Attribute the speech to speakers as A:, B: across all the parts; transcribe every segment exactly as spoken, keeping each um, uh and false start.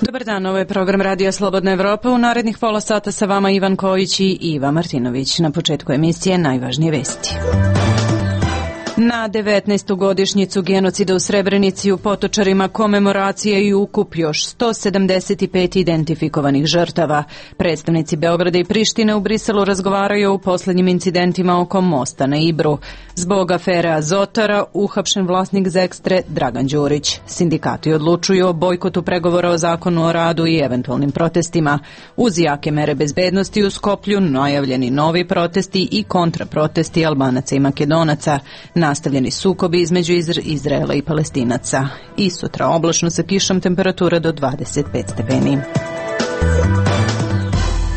A: Dobar dan, ovo je program Radija Slobodna Evropa. U narednih pola sata sa vama Ivan Kojić i Iva Martinović. Na početku emisije najvažnije vesti. Na devetnaestu godišnjicu genocida u Srebrenici u Potočarima komemoracija i ukup još sto sedamdeset pet identifikovanih žrtava. Predstavnici Beograda i Prištine u Briselu razgovaraju o poslednjim incidentima oko mosta na Ibru. Zbog afere Azotara uhapšen vlasnik Zekstre Dragan Đurić. Sindikati odlučuju o bojkotu pregovora o zakonu o radu i eventualnim protestima. Uz jake mere bezbednosti u Skoplju najavljeni novi protesti i kontraprotesti Albanaca i Makedonaca. Nastavljeni sukobi između Izraela i Palestinaca. I sutra oblačno sa kišom, temperatura do dvadeset pet stepeni.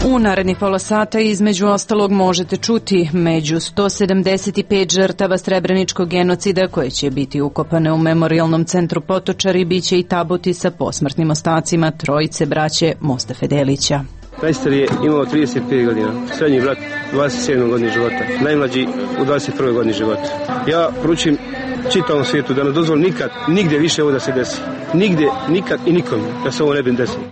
A: U narednih pola sata između ostalog možete čuti među sto sedamdeset pet žrtava srebreničkog genocida koje će biti ukopane u memorijalnom centru Potočari biće i tabuti sa posmrtnim ostacima trojice braće Mostafe Delića.
B: Najstariji je imao trideset pet godina, srednji brat dvadeset sedam godina života, najmlađi u dvadeset prvoj godini života. Ja poručujem čitavom svijetu da ne dozvoli nikad, nigdje više ovo da se desi. Nigdje, nikad i nikom da se ovo ne bi desilo.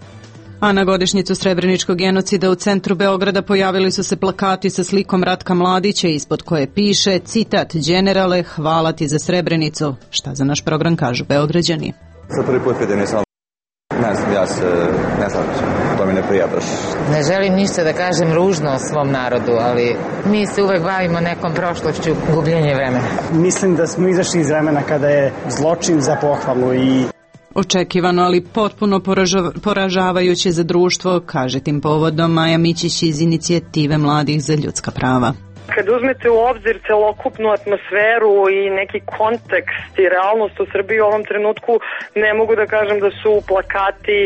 A: A na godišnjicu srebreničkog genocida u centru Beograda pojavili su se plakati sa slikom Ratka Mladića ispod koje piše, citat, generale, hvala ti za Srebrenicu. Šta za naš program kažu Beograđani?
C: Za prvi put vidim nisam. Ne znam, ja se, ne znam, to mi ne prija baš.
D: Ne želim ništa da kažem ružno o svom narodu, ali mi se uvek bavimo nekom prošlošću, gubljenje vremena.
E: Mislim da smo izašli iz vremena kada je zločin za pohvalu i...
A: Očekivano, ali potpuno poražavajuće za društvo, kaže tim povodom Maja Mićić iz Inicijative mladih za ljudska prava.
F: Kad uzmete u obzir celokupnu atmosferu i neki kontekst i realnost u Srbiji u ovom trenutku, ne mogu da kažem da su plakati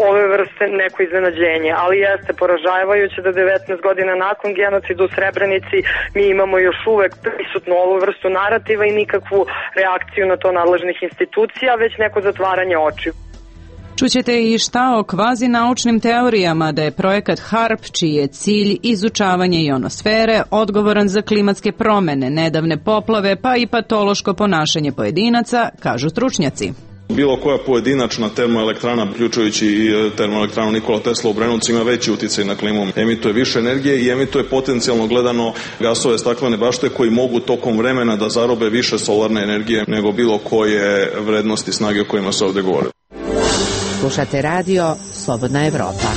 F: ove vrste neko iznenađenje, ali jeste poražavajuće da devetnaest godina nakon genocida u Srebrenici mi imamo još uvek prisutnu ovu vrstu narativa i nikakvu reakciju na to nadležnih institucija, već neko zatvaranje očiju.
A: Čućete i šta o kvazi naučnim teorijama da je projekat HARP, čiji je cilj izučavanje ionosfere, odgovoran za klimatske promene, nedavne poplave, pa i patološko ponašanje pojedinaca, kažu stručnjaci.
G: Bilo koja pojedinačna termoelektrana, uključujući i termoelektranu Nikola Tesla u Brenovcu, ima veći uticaj na klimu. Emituje više energije i emituje potencijalno gledano gasove staklene bašte koji mogu tokom vremena da zarobe više solarne energije nego bilo koje vrednosti snage o kojima se ovde govore.
H: Slušate radio Slobodna Evropa.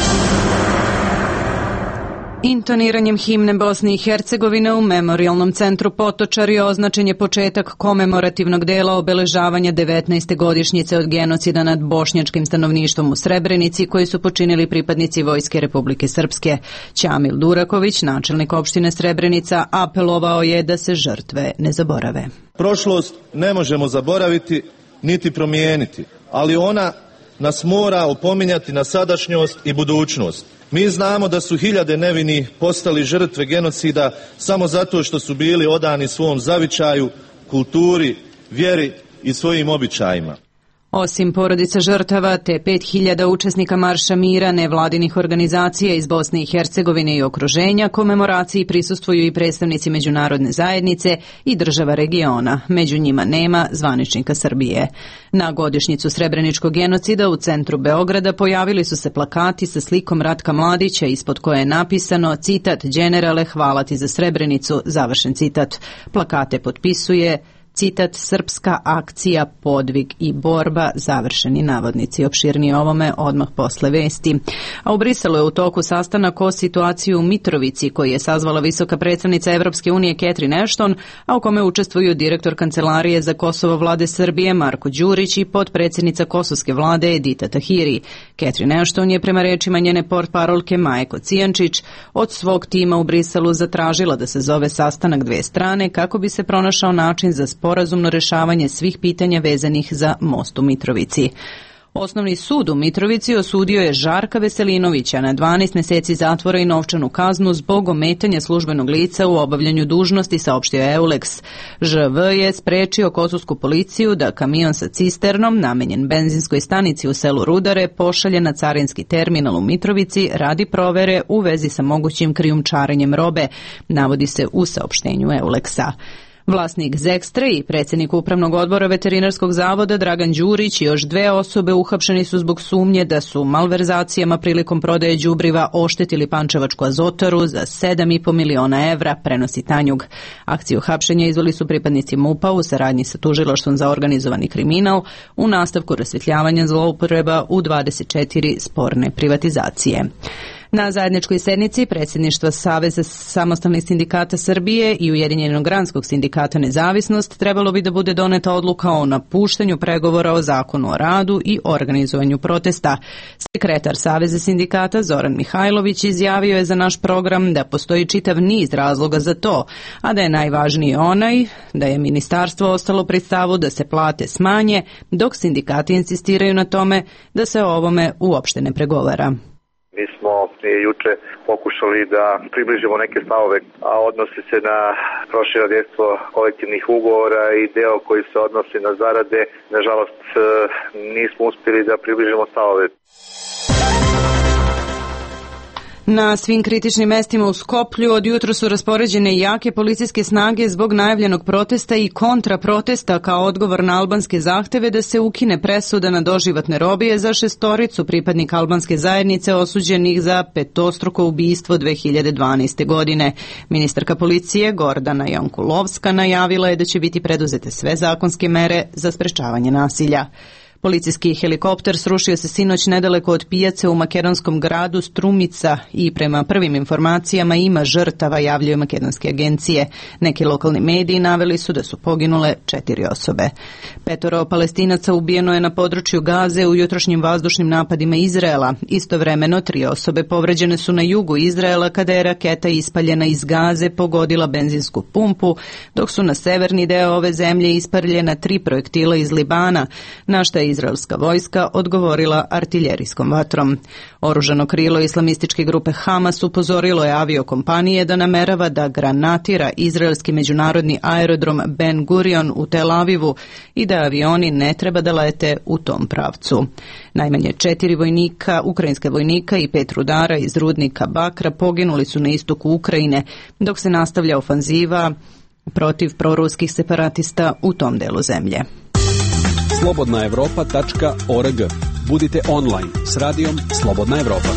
A: Intoniranjem himne Bosne i Hercegovine u memorijalnom centru Potočari označen je početak komemorativnog dela obeležavanja devetnaeste godišnjice od genocida nad bošnjačkim stanovništvom u Srebrenici koji su počinili pripadnici Vojske Republike Srpske. Ćamil Duraković, načelnik opštine Srebrenica, apelovao je da se žrtve ne zaborave.
I: Prošlost ne možemo zaboraviti niti promijeniti, ali ona nas mora opominjati na sadašnjost i budućnost. Mi znamo da su hiljade nevinih postali žrtve genocida samo zato što su bili odani svom zavičaju, kulturi, vjeri i svojim običajima.
A: Osim porodica žrtava te pet hiljada učesnika Marša mira nevladinih organizacija iz Bosne i Hercegovine i okruženja, komemoraciji prisustvuju i predstavnici međunarodne zajednice i država regiona. Među njima nema zvaničnika Srbije. Na godišnjicu srebreničkog genocida u centru Beograda pojavili su se plakati sa slikom Ratka Mladića ispod koje je napisano, citat, generale, hvala ti za Srebrenicu, završen citat. Plakate potpisuje citat, srpska akcija, podvig i borba, završeni navodnici. Opširnije ovome odmah posle vesti. A u Briselu je u toku sastanak o situaciji u Mitrovici koji je sazvala visoka predstavnica Evropske unije Catherine Ashton, a u kome učestvuju direktor Kancelarije za Kosovo vlade Srbije Marko Đurić i potpredsjednica kosovske vlade Edita Tahiri. Catherine Ashton je prema rečima njene portparolke Maje Kocijančić od svog tima u Briselu zatražila da se zove sastanak dve strane kako bi se pronašao način za sporazumno rešavanje svih pitanja vezanih za most u Mitrovici. Osnovni sud u Mitrovici osudio je Žarka Veselinovića na dvanaest meseci zatvora i novčanu kaznu zbog ometanja službenog lica u obavljanju dužnosti, saopštio je Eulex. Ž V je sprečio kosovsku policiju da kamion sa cisternom namenjen benzinskoj stanici u selu Rudare pošalje na carinski terminal u Mitrovici radi provere u vezi sa mogućim krijumčarenjem robe, navodi se u saopštenju Eulexa. Vlasnik Zekstre i predsjednik Upravnog odbora Veterinarskog zavoda Dragan Đurić i još dve osobe uhapšeni su zbog sumnje da su malverzacijama prilikom prodaje đubriva oštetili Pančevačku azotaru za sedam i po miliona evra, prenosi Tanjug. Akciju hapšenja izveli su pripadnici MUP-a u saradnji sa Tužilaštvom za organizovani kriminal u nastavku rasvjetljavanja zloupotreba u dvadeset četiri sporne privatizacije. Na zajedničkoj sednici predsjedništva Saveza samostalnih sindikata Srbije i Ujedinjenog granskog sindikata Nezavisnost trebalo bi da bude doneta odluka o napuštanju pregovora o zakonu o radu i organizovanju protesta. Sekretar Saveza sindikata Zoran Mihajlović izjavio je za naš program da postoji čitav niz razloga za to, a da je najvažniji onaj da je ministarstvo ostalo pri stavu da se plate smanje, dok sindikati insistiraju na tome da se o ovome uopšte ne pregovara.
J: Mi smo juče pokušali da približimo neke stavove, a odnosi se na prošireno dejstvo kolektivnih ugovora i deo koji se odnosi na zarade. Nažalost, nismo uspjeli da približimo stavove.
A: Na svim kritičnim mestima u Skoplju od jutra su raspoređene jake policijske snage zbog najavljenog protesta i kontraprotesta kao odgovor na albanske zahteve da se ukine presuda na doživotne robije za šestoricu pripadnika albanske zajednice osuđenih za petostruko ubistvo dve hiljade dvanaeste. godine. Ministarka policije Gordana Jankulovska najavila je da će biti preduzete sve zakonske mere za sprečavanje nasilja. Policijski helikopter srušio se sinoć nedaleko od pijace u makedonskom gradu Strumica i prema prvim informacijama ima žrtava, javljaju makedonske agencije. Neki lokalni mediji naveli su da su poginule četiri osobe. Petoro Palestinaca ubijeno je na području Gaze u jutrošnjim vazdušnim napadima Izraela. Istovremeno tri osobe povređene su na jugu Izraela kada je raketa ispaljena iz Gaze pogodila benzinsku pumpu, dok su na severni deo ove zemlje ispaljena tri projektila iz Libana, na šta je izraelska vojska odgovorila artiljerijskom vatrom. Oružano krilo islamističke grupe Hamas upozorilo je aviokompanije da namerava da granatira izraelski međunarodni aerodrom Ben Gurion u Tel Avivu i da avioni ne treba da lete u tom pravcu. Najmanje četiri vojnika, ukrajinska vojnika i pet rudara iz rudnika Bakra poginuli su na istoku Ukrajine, dok se nastavlja ofanziva protiv proruskih separatista u tom delu zemlje.
K: slobodna evropa tačka org. Budite online s radijom Slobodna Evropa.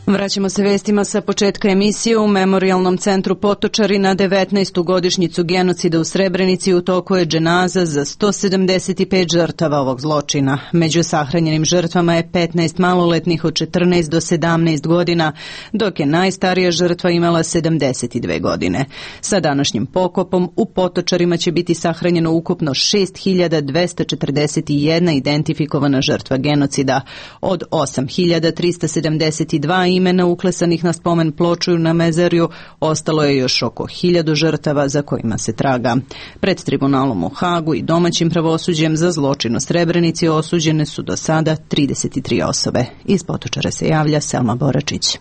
A: Vraćamo se vestima sa početka emisije. U Memorijalnom centru Potočari na devetnaestu godišnjicu genocida u Srebrenici u toku je dženaza za sto sedamdeset pet žrtava ovog zločina. Među sahranjenim žrtvama je petnaest maloletnih od četrnaest do sedamnaest godina, dok je najstarija žrtva imala sedamdeset dve godine. Sa današnjim pokopom u Potočarima će biti sahranjeno ukupno šest hiljada dvesta četrdeset jedna identifikovana žrtva genocida. Od osam hiljada trista sedamdeset dva imena uklesanih na spomen ploču na Mezarju, ostalo je još oko hiljadu žrtava za kojima se traga. Pred tribunalom u Hagu i domaćim pravosuđem za zločin u Srebrenici osuđene su do sada trideset tri osobe. Iz Potočara se javlja Selma Boračić.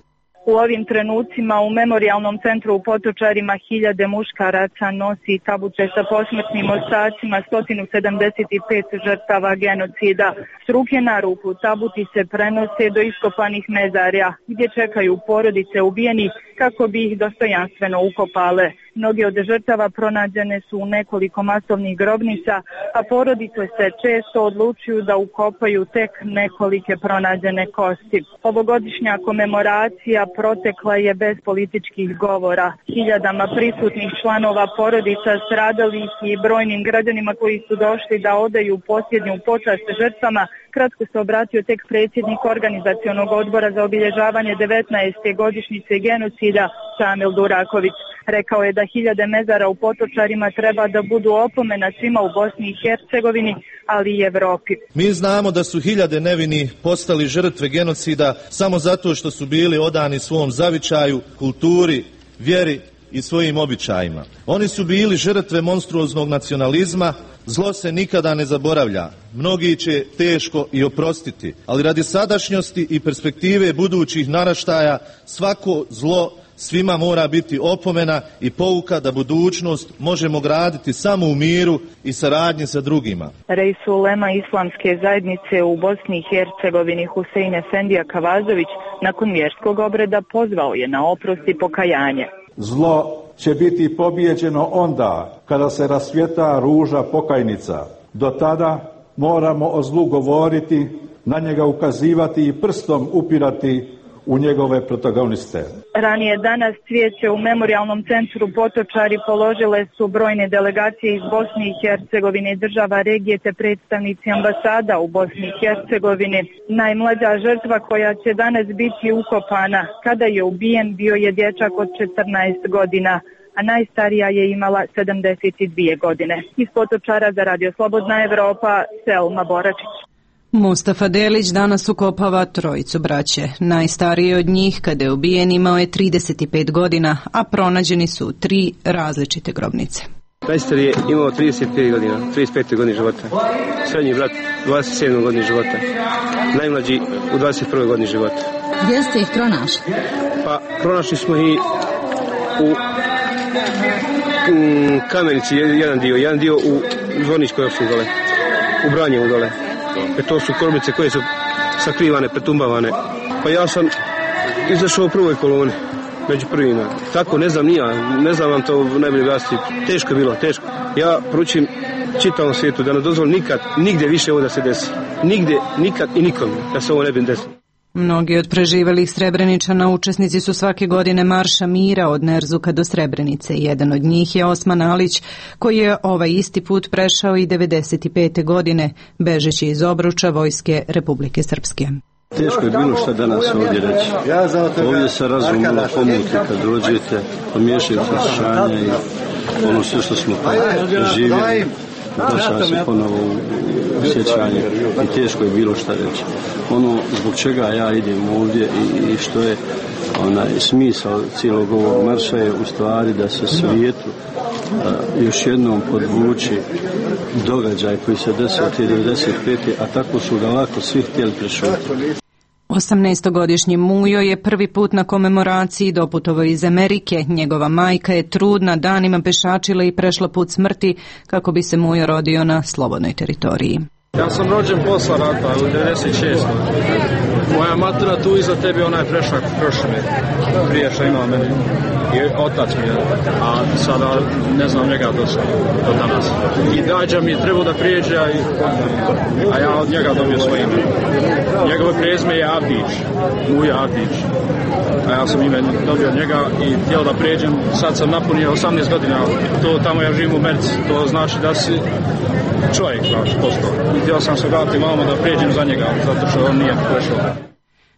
L: U ovim trenucima u Memorijalnom centru u Potočarima hiljade muškaraca nosi tabuće sa posmrtnim ostacima sto sedamdeset pet žrtava genocida. S ruke na ruku tabuti se prenose do iskopanih mezarja gdje čekaju porodice ubijenih kako bi ih dostojanstveno ukopale. Mnoge od žrtava pronađene su u nekoliko masovnih grobnica, a porodice se često odlučuju da ukopaju tek nekolike pronađene kosti. Ovogodišnja komemoracija protekla je bez političkih govora. Hiljadama prisutnih članova porodica stradalih i brojnim građanima koji su došli da odaju posljednju počast žrtvama, kratko se obratio tek predsjednik organizacionog odbora za obilježavanje devetnaeste godišnjice genocida Šamil Duraković. Rekao je da hiljade mezara u Potočarima treba da budu opomena svima u Bosni i Hercegovini, ali i Evropi.
I: Mi znamo da su hiljade nevini postali žrtve genocida samo zato što su bili odani svom zavičaju, kulturi, vjeri i svojim običajima. Oni su bili žrtve monstruoznog nacionalizma. Zlo se nikada ne zaboravlja. Mnogi će teško i oprostiti, ali radi sadašnjosti i perspektive budućih naraštaja svako zlo svima mora biti opomena i pouka da budućnost možemo graditi samo u miru i saradnji sa drugima.
L: Rejs ulema islamske zajednice u Bosni i Hercegovini Husein Efendija Kavazović nakon vjerskog obreda pozvao je na oprost i pokajanje.
M: Zlo će biti pobijeđeno onda kada se rasvjeta ruža pokajnica. Do tada moramo o zlu govoriti, na njega ukazivati i prstom upirati u njegove protagoniste.
L: Ranije danas cvijeće u Memorijalnom centru Potočari položile su brojne delegacije iz Bosne i Hercegovine i država regije te predstavnici ambasada u Bosni i Hercegovini. Najmlađa žrtva koja će danas biti ukopana kada je ubijen bio je dječak od četrnaest godina, a najstarija je imala sedamdeset dvije godine. Iz Potočara za Radio Slobodna Evropa, Selma Boračić.
A: Mustafa Delić danas ukopava trojicu braće. Najstariji od njih, kada je ubijen, imao je trideset pet godina, a pronađeni su tri različite grobnice.
B: Najstariji je imao trideset pet godina, trideset pet godine života. Srednji brat dvadeset sedam godine života. Najmlađi u dvadeset prvoj godini života.
N: Gdje ste ih pronašli?
B: Pa pronašli smo ih u mm, Kamenici, jedan dio, jedan dio u Zvorničkoj opštini dole, u Branjevu dole. E to su grobnice koje su sakrivane, pretumbavane. Pa ja sam izašao u prvoj koloni, među prvima. Tako, ne znam ni ja, ne znam vam to najbolje glasiti. Teško je bilo, teško. Ja poručujem čitavom svijetu da ne dozvoli nikad, nigdje više ovo da se desi. Nigdje, nikad i nikom da se ovo ne bi desilo.
A: Mnogi od preživelih Srebreničana učesnici su svake godine Marša mira od Nerzuka do Srebrenice. Jedan od njih je Osman Alić, koji je ovaj isti put prešao i devedeset pete godine, bežeći iz obruča vojske Republike Srpske.
O: Teško je bilo što danas ovdje reći. Ovdje se razum malo pomuti kad dođete, pomiješaju saslušanja i ono sve što smo preživjeli. Vraća se ponovo u sjećanje i teško je bilo šta reći. Ono zbog čega ja idem ovdje i, i što je onaj smisao cijelog ovog marša je u stvari da se svijetu a, još jednom podvuči događaj koji se desio te devedeset pete a tako su ga lako svi htjeli prešutiti.
A: osamnaestogodišnji Mujo je prvi put na komemoraciji doputovao iz Amerike. Njegova majka je trudna, danima pešačila i prešla put smrti kako bi se Mujo rodio na slobodnoj teritoriji.
P: Ja sam rođen posla rata u devedeset šestoj Moja matura tu iza tebi, ona je prešla prošle prije što imala meni. I otac mi je, a sada ne znam njega do, do danas. I dađa mi je trebao da prijeđe, a, a ja od njega dobio svoje ime. Njegovo prezime je Avdić, Muja Avdić. A ja sam ime dobio od njega i htio da prijeđem. Sad sam napunio osamnaest godina, to tamo ja živim u Merci. To znači da si čovjek, znači, postao. I htio sam se vratiti malo da prijeđem za njega, zato što on nije prešao.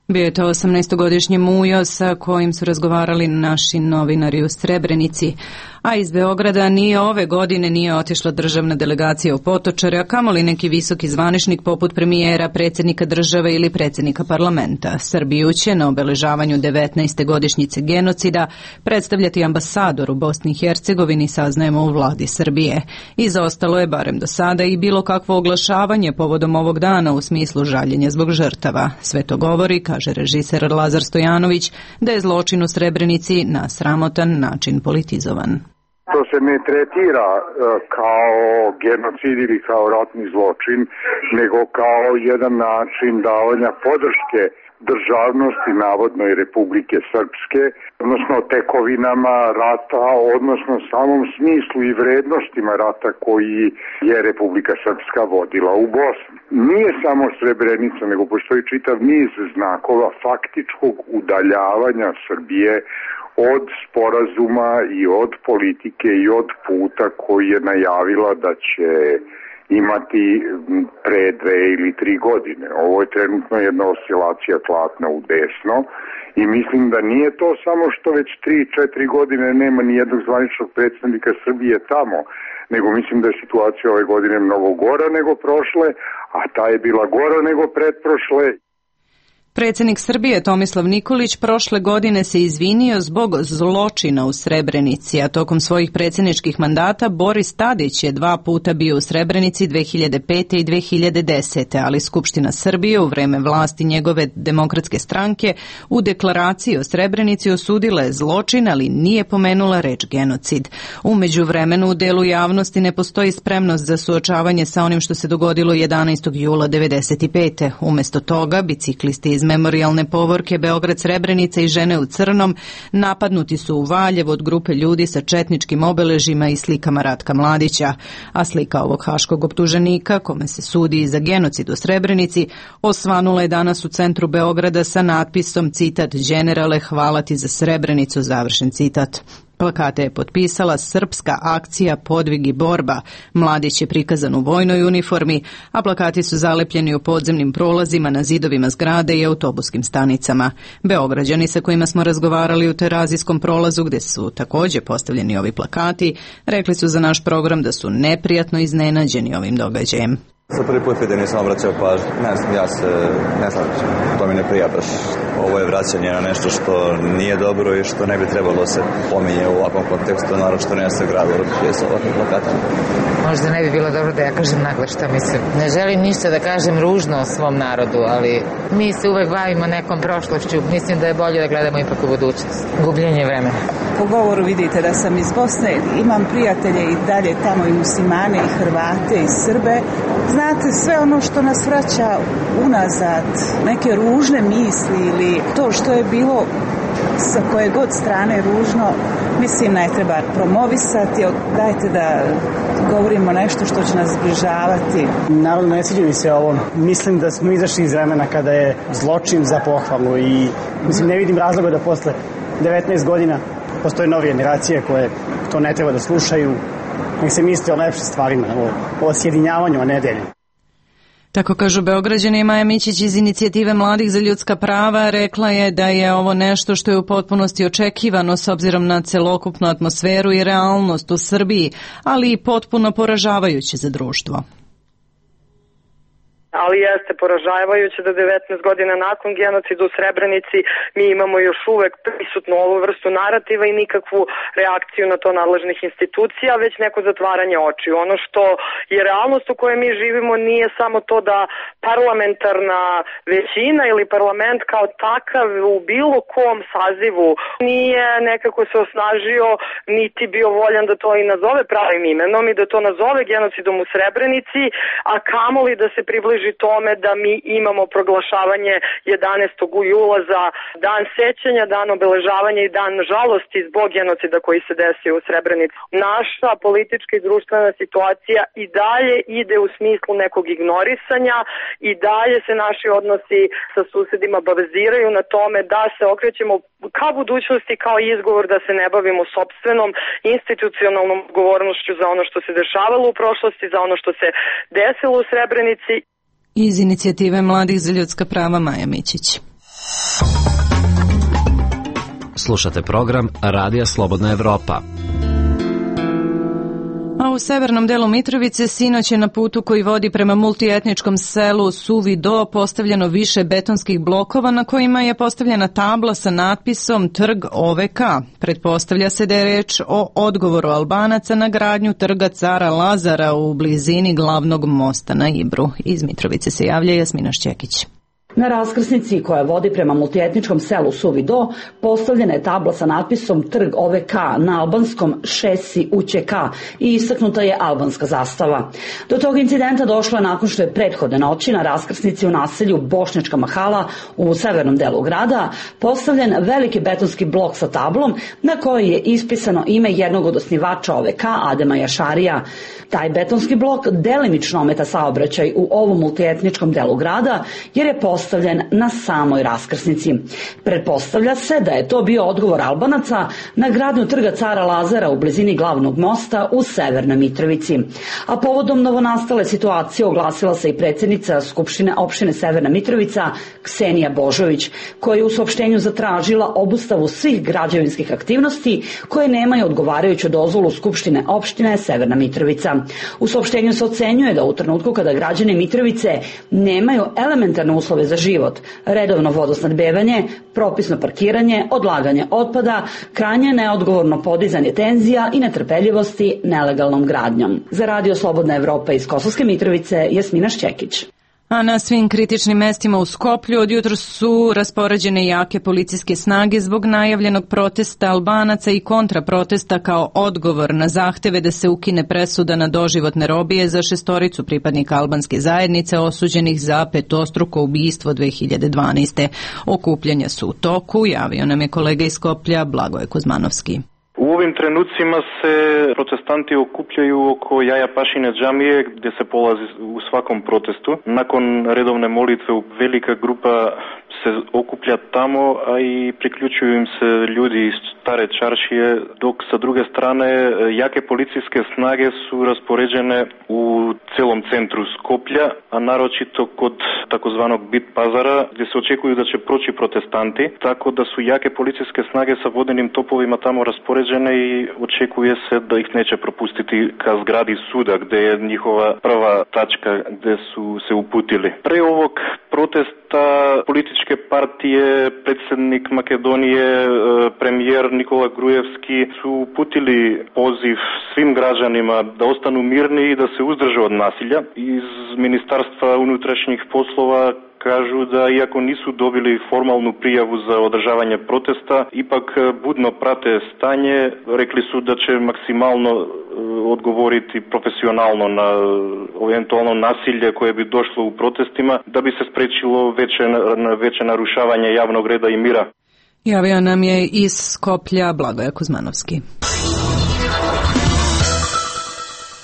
A: Bio je to osamnaestogodišnji Mujo sa kojim su razgovarali naši novinari u Srebrenici. A iz Beograda nije ove godine nije otišla državna delegacija u Potočare, a kamoli neki visoki zvaničnik poput premijera, predsjednika države ili predsjednika parlamenta. Srbiju će na obeležavanju devetnaeste godišnjice genocida predstavljati ambasador u Bosni i Hercegovini, saznajemo u vladi Srbije. Izostalo je, barem do sada, i bilo kakvo oglašavanje povodom ovog dana u smislu žaljenja zbog žrtava. Sve to govori, kaže režiser Lazar Stojanović, da je zločin u Srebrenici na sramotan način politizovan.
Q: To se ne tretira uh, kao genocid ili kao ratni zločin, nego kao jedan način davanja podrške državnosti navodnoj Republike Srpske, odnosno tekovinama rata, odnosno samom smislu i vrednostima rata koji je Republika Srpska vodila u Bosni. Nije samo Srebrenica, nego postoji čitav niz znakova faktičkog udaljavanja Srbije od sporazuma i od politike i od puta koji je najavila da će imati pre dve ili tri godine. Ovo je trenutno jedna oscilacija tlatna u desno i mislim da nije to samo što već tri, četiri godine nema ni jednog zvaničnog predstavnika Srbije tamo, nego mislim da je situacija ove godine mnogo gora nego prošle, a ta je bila gora nego pretprošle.
A: Predsjednik Srbije Tomislav Nikolić prošle godine se izvinio zbog zločina u Srebrenici, a tokom svojih predsjedničkih mandata Boris Tadić je dva puta bio u Srebrenici dve hiljade pete i dve hiljade desete. ali Skupština Srbije u vreme vlasti njegove demokratske stranke u deklaraciji o Srebrenici osudila je zločin, ali nije pomenula reč genocid. U međuvremenu u delu javnosti ne postoji spremnost za suočavanje sa onim što se dogodilo jedanaestog jula devedeset pete. Umjesto toga, biciklisti iz iz memorijalne povorke Beograd Srebrenica i Žene u crnom napadnuti su u Valjevu od grupe ljudi sa četničkim obeležima i slikama Ratka Mladića, a slika ovog haškog optuženika, kome se sudi za genocid u Srebrenici, osvanula je danas u centru Beograda sa natpisom, citat, "Generale, hvala ti za Srebrenicu", završen citat. Plakate je potpisala Srpska akcija Podvig i borba. Mladić je prikazan u vojnoj uniformi, a plakati su zalepljeni u podzemnim prolazima, na zidovima zgrade i autobuskim stanicama. Beograđani sa kojima smo razgovarali u Terazijskom prolazu, gde su takođe postavljeni ovi plakati, rekli su za naš program da su neprijatno iznenađeni ovim događajem.
C: Za prvi put vidim, nisam obraćao pažnju. Ne znam, ja se ne znam, to mi ne prija baš. Ovo je vraćanje na nešto što nije dobro i što ne bi trebalo se pominje u ovakvom kontekstu, naravno što ne se gradu gdje sa ovakvim plakatama.
D: Možda ne bi bilo dobro da ja kažem nagle šta mislim. Ne želim ništa da kažem ružno o svom narodu, ali mi se uvek bavimo nekom prošlošću. Mislim da je bolje da gledamo ipak u budućnost. Gubljenje vremena.
N: Po govoru vidite da sam iz Bosne, imam prijatelje i dalje tamo i muslimane i Hrvate i Srbe. Znate, sve ono što nas vraća unazad, neke ružne misli ili to što je bilo sa koje god strane ružno, mislim ne treba promovisati, dajte da govorimo nešto što će nas zbližavati.
E: Naravno ne sviđa mi se ovo. Mislim da smo izašli iz vremena kada je zločin za pohvalu i mislim ne vidim razloga da posle devetnaest godina postoje nove generacije koje to ne treba da slušaju. Nek se misli o lepšim stvarima, o, o sjedinjavanju, a ne deljenju.
A: Tako kažu Beograđani. Maja Mićić iz Inicijative mladih za ljudska prava rekla je da je ovo nešto što je u potpunosti očekivano s obzirom na celokupnu atmosferu i realnost u Srbiji, ali i potpuno poražavajuće za društvo.
F: Ali jeste poražavajuće da devetnaest godina nakon genocida u Srebrenici mi imamo još uvek prisutnu ovu vrstu narativa i nikakvu reakciju na to nadležnih institucija, već neko zatvaranje očiju. Ono što je realnost u kojoj mi živimo nije samo to da parlamentarna većina ili parlament kao takav u bilo kom sazivu nije nekako se osnažio niti bio voljan da to i nazove pravim imenom i da to nazove genocidom u Srebrenici, a kamoli da se približi tome da mi imamo proglašavanje jedanaestog jula za dan sećanja, dan obeležavanja i dan žalosti zbog genocida koji se desio u Srebrenici. Naša politička i društvena situacija i dalje ide u smislu nekog ignorisanja i dalje se naši odnosi sa susedima baziraju na tome da se okrećemo ka budućnosti kao izgovor da se ne bavimo sopstvenom institucionalnom odgovornošću za ono što se dešavalo u prošlosti, za ono što se desilo u Srebrenici.
A: Iz Inicijative mladih za ljudska prava Maja Mićić.
R: Slušate program Radija Slobodna Evropa.
A: A u severnom delu Mitrovice sinoć je na putu koji vodi prema multietničkom selu Suvi Do postavljeno više betonskih blokova na kojima je postavljena tabla sa natpisom Trg O V K. Pretpostavlja se da je reč o odgovoru Albanaca na gradnju Trga Cara Lazara u blizini glavnog mosta na Ibru. Iz Mitrovice se javlja Jasmina Šćekić.
S: Na raskrsnici koja vodi prema multietničkom selu Suvi Do postavljena je tabla sa natpisom Trg O V K na albanskom Šesi U Ć K i istaknuta je albanska zastava. Do tog incidenta došlo je nakon što je prethodne noći na raskrsnici u naselju Bošnjačka Mahala u severnom delu grada postavljen veliki betonski blok sa tablom na kojoj je ispisano ime jednog od osnivača O V K, Adema Jašarija. Taj betonski blok delimično ometa saobraćaj u ovom multietničkom delu grada jer je postavljen na samoj raskrsnici. Pretpostavlja se da je to bio odgovor Albanaca na gradnju Trga Cara Lazara u blizini glavnog mosta u Severnoj Mitrovici. A povodom novonastale situacije oglasila se i predsjednica Skupštine opštine Severna Mitrovica Ksenija Božović, koja je u saopštenju zatražila obustavu svih građevinskih aktivnosti koje nemaju odgovarajuću dozvolu Skupštine opštine Severna Mitrovica. U saopštenju se ocenjuje da u trenutku kada građani Mitrovice nemaju elementarne uslove za život, redovno vodosnadbevanje, propisno parkiranje, odlaganje otpada, krajnje neodgovorno podizanje tenzija i netrpeljivosti nelegalnom gradnjom. Za Radio Slobodna Evropa iz Kosovske Mitrovice, Jasmina Šćekić.
A: A na svim kritičnim mestima u Skoplju odjutro su raspoređene jake policijske snage zbog najavljenog protesta Albanaca i kontraprotesta kao odgovor na zahteve da se ukine presuda na doživotne robije za šestoricu pripadnika albanske zajednice osuđenih za petostruko ubistvo dve hiljade dvanaeste. Okupljanja su u toku, javio nam je kolega iz Skoplja Blagoje Kuzmanovski.
T: U ovim trenucima se protestanti okupljaju oko Jaja Pašine džamije gdje se polazi u svakom protestu. Nakon redovne molitve velika grupa se okuplja tamo, a i priključuju im se ljudi iz stare čaršije, dok sa druge strane jake policijske snage su raspoređene u celom centru Skoplja, a naročito kod takozvanog Bit pazara, gdje se očekuju da će proći protestanti, tako da su jake policijske snage sa vodenim topovima tamo raspoređene i očekuje se da ih neće propustiti ka zgradi suda, gdje je njihova prva tačka gdje su se uputili. Pre ovog protesta političke partije, predsjednik Makedonije, premijer Nikola Grujevski su uputili poziv svim građanima da ostanu mirni i da se uzdrže od nasilja. Iz Ministarstva unutrašnjih poslova kažu da iako nisu dobili formalnu prijavu za održavanje protesta, ipak budno prate stanje. Rekli su da će maksimalno odgovoriti profesionalno na eventualno nasilje koje bi došlo u protestima da bi se sprečilo veće, veće narušavanje javnog reda i mira.
A: Javio nam je iz Skoplja Blagoje Kuzmanovski.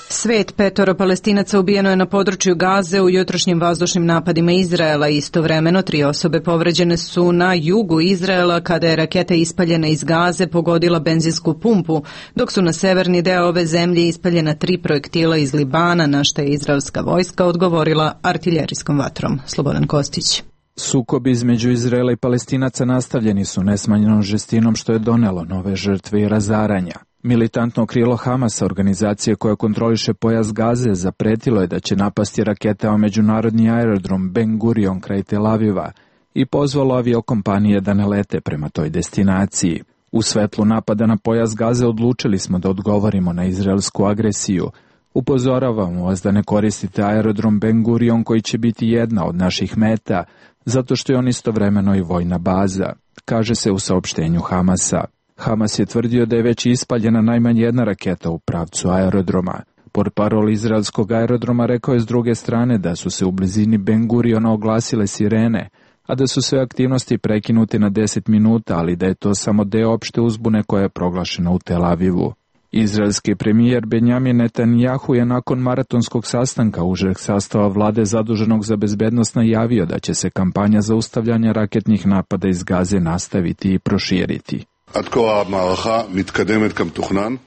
A: Svet, petoro Palestinaca ubijeno je na području Gaze u jutrošnjim vazdušnim napadima Izraela. Istovremeno tri osobe povređene su na jugu Izraela kada je raketa ispaljena iz Gaze pogodila benzinsku pumpu, dok su na severni deo ove zemlje ispaljena tri projektila iz Libana, na što je izraelska vojska odgovorila artiljerijskom vatrom. Slobodan Kostić.
U: Sukobi između Izraela i Palestinaca nastavljeni su nesmanjenom žestinom što je donelo nove žrtve i razaranja. Militantno krilo Hamasa, organizacije koja kontroliše pojas Gaze, zapretilo je da će napasti raketama međunarodni aerodrom Ben Gurion kraj Tel Aviva i pozvalo aviokompanije da ne lete prema toj destinaciji. U svetlu napada na pojas Gaze odlučili smo da odgovorimo na izraelsku agresiju. Upozoravamo vas da ne koristite aerodrom Ben Gurion koji će biti jedna od naših meta, zato što je on istovremeno i vojna baza, kaže se u saopštenju Hamasa. Hamas je tvrdio da je već ispaljena najmanje jedna raketa u pravcu aerodroma. Portparol izraelskog aerodroma rekao je s druge strane da su se u blizini Ben Guriona oglasile sirene, a da su sve aktivnosti prekinute na deset minuta, ali da je to samo deo opšte uzbune koja je proglašena u Tel Avivu. Izraelski premijer Benjamin Netanjahu je nakon maratonskog sastanka užeg sastava vlade zaduženog za bezbednost najavio da će se kampanja zaustavljanja raketnih napada iz Gaze nastaviti i proširiti.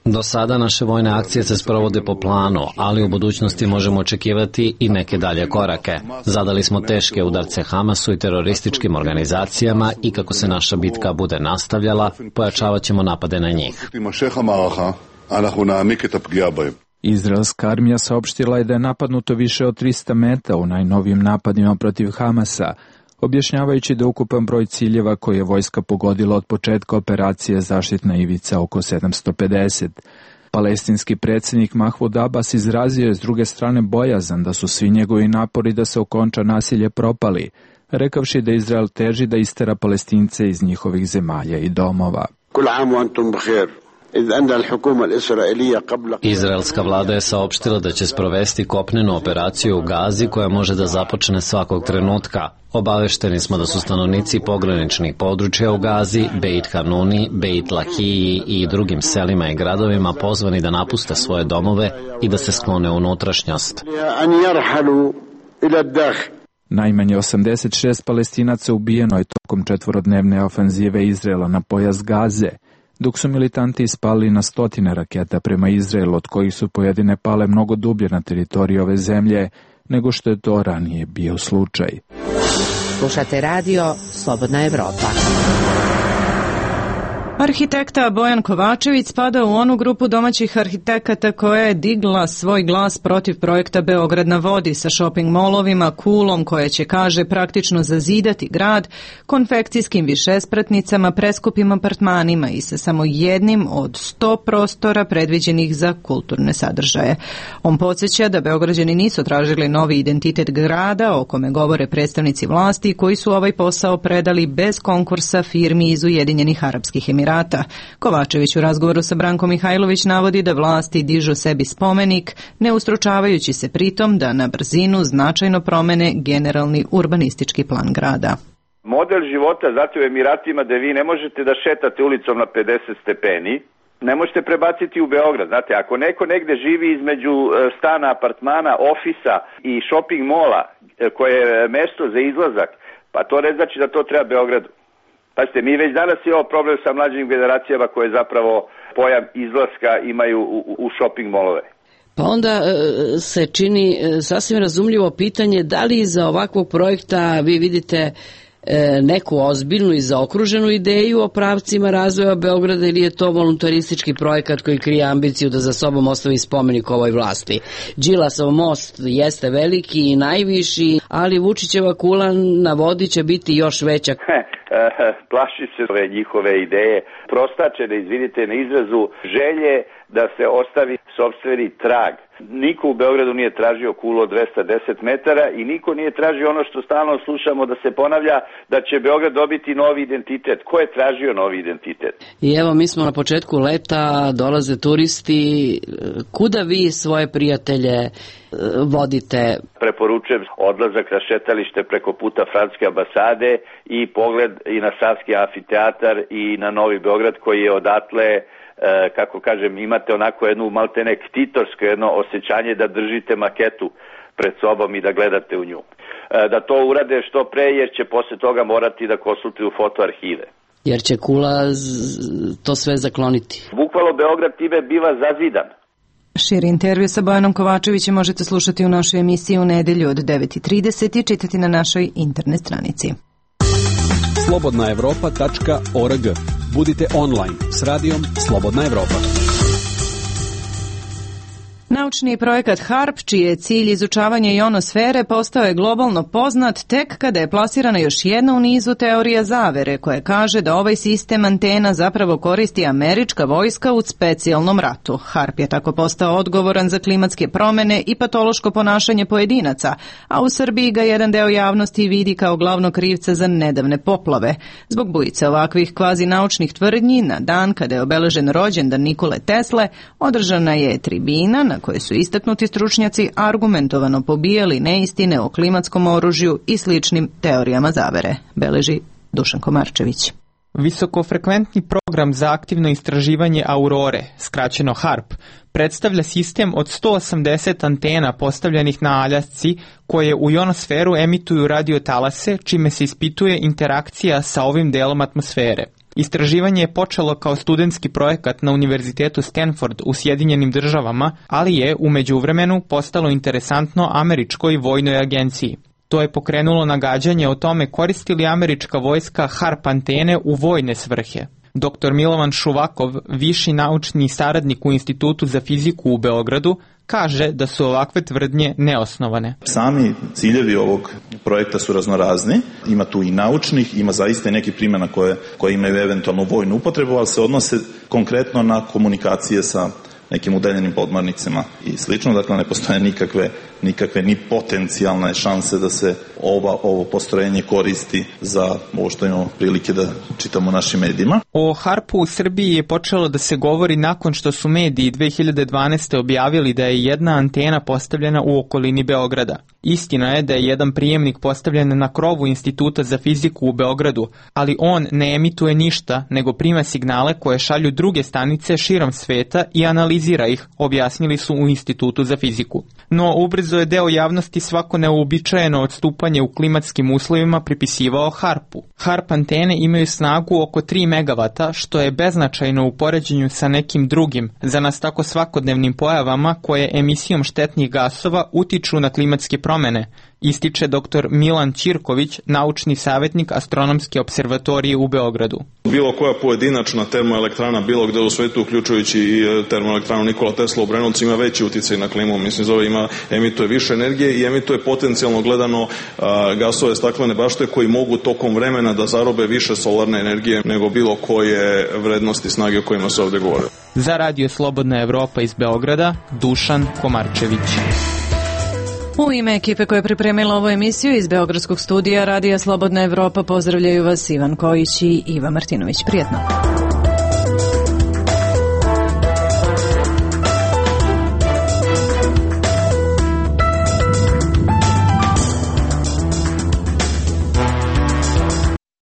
R: Do sada naše vojne akcije se sprovode po planu, ali u budućnosti možemo očekivati i neke dalje korake. Zadali smo teške udarce Hamasu i terorističkim organizacijama i kako se naša bitka bude nastavljala, pojačavat ćemo napade na njih.
U: Izraelska armija saopštila je da je napadnuto više od trista meta u najnovijim napadima protiv Hamasa, objašnjavajući da ukupan broj ciljeva koje je vojska pogodila od početka operacije zaštitna ivica oko sedamsto pedeset. Palestinski predsjednik Mahmud Abbas izrazio je s druge strane bojazan da su svi njegovi napori da se okonča nasilje propali, rekavši da Izrael teži da istera Palestince iz njihovih zemalja i domova.
R: Izraelska vlada je saopštila da će sprovesti kopnenu operaciju u Gazi koja može da započne svakog trenutka. Obavešteni smo da su stanovnici pograničnih područja u Gazi, Beit Hanuni, Beit Lahiji i drugim selima i gradovima pozvani da napuste svoje domove i da se sklone u unutrašnjost.
U: Najmanje osamdeset šest Palestinaca ubijeno je tokom četvorodnevne ofanzive Izraela na pojas Gaze, dok su militanti ispalili na stotine raketa prema Izraelu, od kojih su pojedine pale mnogo dublje na teritoriji ove zemlje nego što je to ranije bio slučaj.
H: Slušate radio Slobodna Evropa.
A: Arhitekta Bojan Kovačević spada u onu grupu domaćih arhitekata koja je digla svoj glas protiv projekta Beograd na vodi sa shopping molovima, kulom koje će, kaže, praktično zazidati grad, konfekcijskim višespratnicama, preskupim apartmanima i sa samo jednim od sto prostora predviđenih za kulturne sadržaje. On podsjeća da Beograđani nisu tražili novi identitet grada, o kome govore predstavnici vlasti koji su ovaj posao predali bez konkursa firmi iz Ujedinjenih Arapskih Emirata. Kovačević u razgovoru sa Brankom Mihajlović navodi da vlasti dižu sebi spomenik, ne ustručavajući se pritom da na brzinu značajno promene generalni urbanistički plan grada.
G: Model života zato u Emiratima da vi ne možete da šetate ulicom na pedeset stepeni, ne možete prebaciti u Beograd. Znate, ako neko negde živi između stana, apartmana, ofisa i shopping mola koje je mesto za izlazak, pa to ne znači da to treba Beogradu. Pazite, mi već danas imamo problem sa mlađim generacijama koje zapravo pojam izlaska imaju u, u shopping molove.
V: Pa onda se čini sasvim razumljivo pitanje da li iza ovakvog projekta vi vidite neku ozbiljnu i zaokruženu ideju o pravcima razvoja Beograda ili je to voluntaristički projekat koji krije ambiciju da za sobom ostavi spomenik ovoj vlasti. Đilasov most jeste veliki i najviši, ali Vučićeva kula na vodi će biti još veća.
G: Plaši se ove njihove ideje, prostačene, izvinite na izrazu, želje da se ostavi sopstveni trag. Niko u Beogradu nije tražio kulu od dvesta deset metara i niko nije tražio ono što stalno slušamo da se ponavlja, da će Beograd dobiti novi identitet. Ko je tražio novi identitet?
V: I evo, mi smo na početku leta, dolaze turisti. Kuda vi svoje prijatelje vodite?
G: Preporučujem odlazak na šetalište preko puta Francuske ambasade i pogled i na Savski amfiteatar i na Novi Beograd koji je odatle, kako kažem, imate onako jednu maltene ktitorsko jedno osjećanje da držite maketu pred sobom i da gledate u nju. Da to urade što pre jer će posle toga morati da konsultuju fotoarhive.
V: Jer će kula to sve zakloniti.
G: Bukvalno Beograd time biva zazidan.
A: Širi intervju sa Bojanom Kovačevićem možete slušati u našoj emisiji u nedelju od devet i trideset i čitati na našoj internet stranici.
K: slobodna evropa tačka org. Budite online s radijom Slobodna Evropa.
A: Naučni projekat HARP, čiji je cilj izučavanje ionosfere, postao je globalno poznat tek kada je plasirana još jedna u nizu teorija zavere, koja kaže da ovaj sistem antena zapravo koristi američka vojska u specijalnom ratu. HARP je tako postao odgovoran za klimatske promene i patološko ponašanje pojedinaca, a u Srbiji ga jedan deo javnosti vidi kao glavnog krivca za nedavne poplave. Zbog bujice ovakvih kvazi naučnih tvrdnji, na dan kada je obeležen rođendan Nikole Tesle, održana je tribina na koje su istaknuti stručnjaci argumentovano pobijali neistine o klimatskom oružju i sličnim teorijama zavere, beleži Dušan Komarčević.
W: Visokofrekventni program za aktivno istraživanje aurore, skraćeno HARP, predstavlja sistem od sto osamdeset antena postavljenih na Aljasci koje u ionosferu emituju radiotalase, čime se ispituje interakcija sa ovim delom atmosfere. Istraživanje je počelo kao studentski projekat na Univerzitetu Stanford u Sjedinjenim državama, ali je u međuvremenu postalo interesantno američkoj vojnoj agenciji. To je pokrenulo nagađanje o tome koristi li američka vojska HARP antene u vojne svrhe. doktor Milovan Šuvakov, viši naučni saradnik u Institutu za fiziku u Beogradu, kaže da su ovakve tvrdnje neosnovane.
X: Sami ciljevi ovog projekta su raznorazni, ima tu i naučnih, ima zaista i neki primjena koje, koje imaju eventualno vojnu upotrebu, ali se odnose konkretno na komunikacije sa nekim udaljenim podmornicama i slično, dakle ne postoje nikakve, nikakve ni potencijalne šanse da se ova, ovo postrojenje koristi za ovo što imamo prilike da čitamo u našim medijima.
W: O HARP-u u Srbiji je počelo da se govori nakon što su mediji dve hiljade dvanaeste. objavili da je jedna antena postavljena u okolini Beograda. Istina je da je jedan prijemnik postavljen na krovu Instituta za fiziku u Beogradu, ali on ne emituje ništa, nego prima signale koje šalju druge stanice širom sveta i analizira ih, objasnili su u Institutu za fiziku. No, ubrzo je deo javnosti svako neuobičajeno odstupanje u klimatskim uslovima pripisivao HARP-u. HARP antene imaju snagu oko tri megavata, što je beznačajno u poređenju sa nekim drugim, za nas tako svakodnevnim pojavama koje emisijom štetnih gasova utiču na klimatske promene, ističe doktor Milan Ćirković, naučni savjetnik Astronomske observatorije u Beogradu.
I: Bilo koja pojedinačna termoelektrana bilo gde u svetu, uključujući i termoelektranu Nikola Tesla u Brenovcu, ima veći uticaj na klimu. Mislim, zove ima, emituje više energije i emituje potencijalno gledano a, gasove staklene bašte koji mogu tokom vremena da zarobe više solarne energije nego bilo koje vrednosti snage o kojima se ovde govori.
W: Za Radio Slobodna Evropa iz Beograda, Dušan Komarčević.
A: U ime ekipe koja je pripremila ovu emisiju iz Beogradskog studija Radija Slobodna Evropa pozdravljaju vas Ivan Kojić i Iva Martinović. Prijetno.